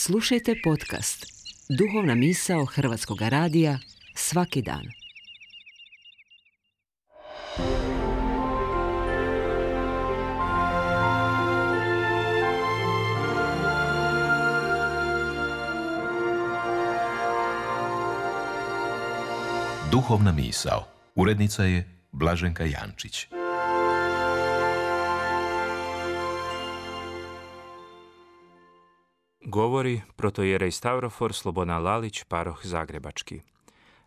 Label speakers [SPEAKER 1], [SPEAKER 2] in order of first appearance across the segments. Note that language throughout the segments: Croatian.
[SPEAKER 1] Slušajte podcast Duhovna misao Hrvatskog radija svaki dan.
[SPEAKER 2] Duhovna misao. Urednica je Blaženka Jančić.
[SPEAKER 3] Govori protojerej Stavrofor Slobodan Lalić, paroh Zagrebački.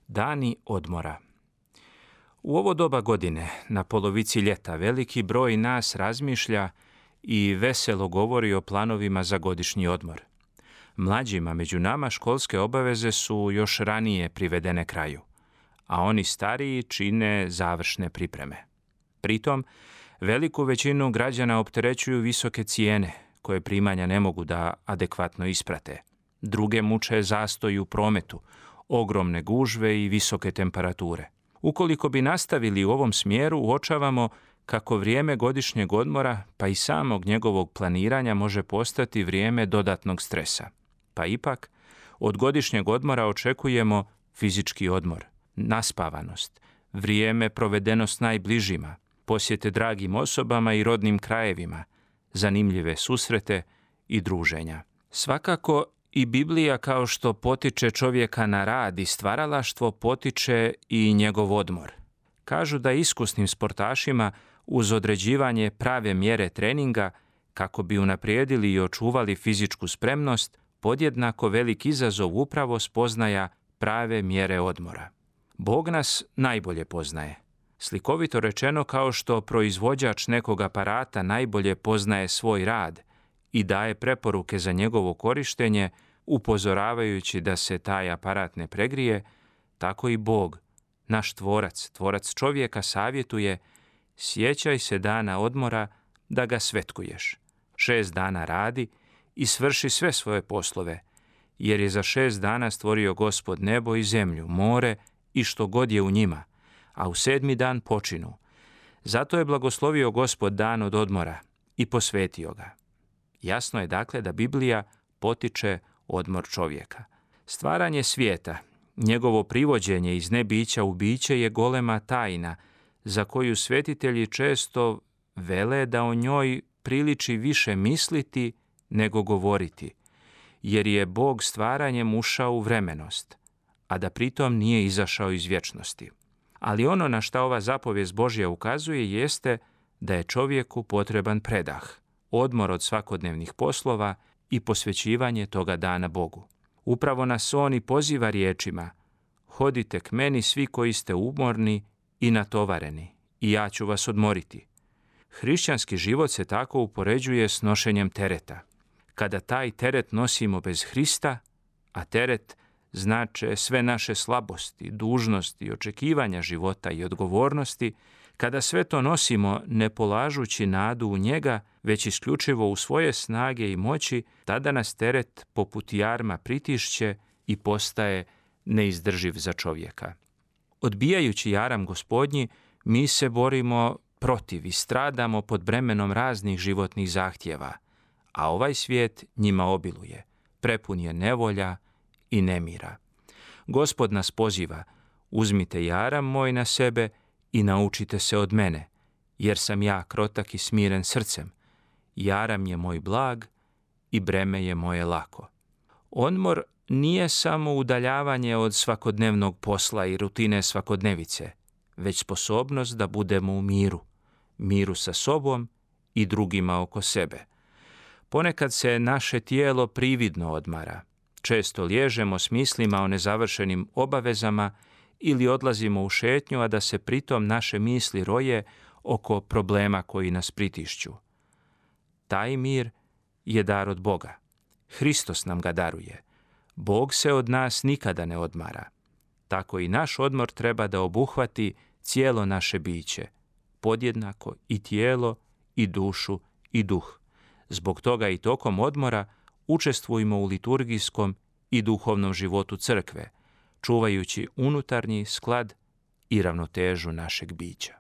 [SPEAKER 3] Dani odmora. U ovo doba godine, na polovici ljeta, veliki broj nas razmišlja i veselo govori o planovima za godišnji odmor. Mlađima među nama školske obaveze su još ranije privedene kraju, a oni stariji čine završne pripreme. Pritom, veliku većinu građana opterećuju visoke cijene, koje primanja ne mogu da adekvatno isprate. Druge muče zastoj u prometu, ogromne gužve i visoke temperature. Ukoliko bi nastavili u ovom smjeru, uočavamo kako vrijeme godišnjeg odmora, pa i samog njegovog planiranja, može postati vrijeme dodatnog stresa. Pa ipak, od godišnjeg odmora očekujemo fizički odmor, naspavanost, vrijeme provedeno s najbližima, posjete dragim osobama i rodnim krajevima, zanimljive susrete i druženja. Svakako i Biblija, kao što potiče čovjeka na rad i stvaralaštvo, potiče i njegov odmor. Kažu da iskusnim sportašima uz određivanje prave mjere treninga, kako bi unaprijedili i očuvali fizičku spremnost, podjednako velik izazov upravo spoznaja prave mjere odmora. Bog nas najbolje poznaje. Slikovito rečeno, kao što proizvođač nekog aparata najbolje poznaje svoj rad i daje preporuke za njegovo korištenje, upozoravajući da se taj aparat ne pregrije, tako i Bog, naš tvorac, tvorac čovjeka, savjetuje: sjećaj se dana odmora da ga svetkuješ. 6 dana radi i svrši sve svoje poslove, jer je za 6 dana stvorio Gospod nebo i zemlju, more i što god je u njima, a u 7. dan počinu. Zato je blagoslovio Gospod dan od odmora i posvetio ga. Jasno je dakle da Biblija potiče odmor čovjeka. Stvaranje svijeta, njegovo privođenje iz nebića u biće je golema tajna, za koju svetitelji često vele da o njoj priliči više misliti nego govoriti, jer je Bog stvaranjem ušao u vremenost, a da pritom nije izašao iz vječnosti. Ali ono na šta ova zapovijest Božja ukazuje jeste da je čovjeku potreban predah, odmor od svakodnevnih poslova i posvećivanje toga dana Bogu. Upravo nas on i poziva riječima: hodite k meni svi koji ste umorni i natovareni, i ja ću vas odmoriti. Hrišćanski život se tako upoređuje s nošenjem tereta. Kada taj teret nosimo bez Hrista, a teret znače sve naše slabosti, dužnosti, očekivanja života i odgovornosti, kada sve to nosimo ne polažući nadu u njega, već isključivo u svoje snage i moći, tada nas teret poput jarma pritišće i postaje neizdrživ za čovjeka. Odbijajući jaram Gospodnji, mi se borimo protiv i stradamo pod bremenom raznih životnih zahtjeva, a ovaj svijet njima obiluje, prepun je nevolja i nemira. Gospod nas poziva: uzmite jaram moj na sebe i naučite se od mene, jer sam ja krotak i smiren srcem. Jaram je moj blag i breme je moje lako. Odmor nije samo udaljavanje od svakodnevnog posla i rutine svakodnevice, već sposobnost da budemo u miru sa sobom i drugima oko sebe. Ponekad se naše tijelo prividno odmara. Često liježemo s mislima o nezavršenim obavezama ili odlazimo u šetnju, a da se pritom naše misli roje oko problema koji nas pritišću. Taj mir je dar od Boga. Hristos nam ga daruje. Bog se od nas nikada ne odmara. Tako i naš odmor treba da obuhvati cijelo naše biće, podjednako i tijelo i dušu i duh. Zbog toga i tokom odmora učestvujmo u liturgijskom i duhovnom životu crkve, čuvajući unutarnji sklad i ravnotežu našeg bića.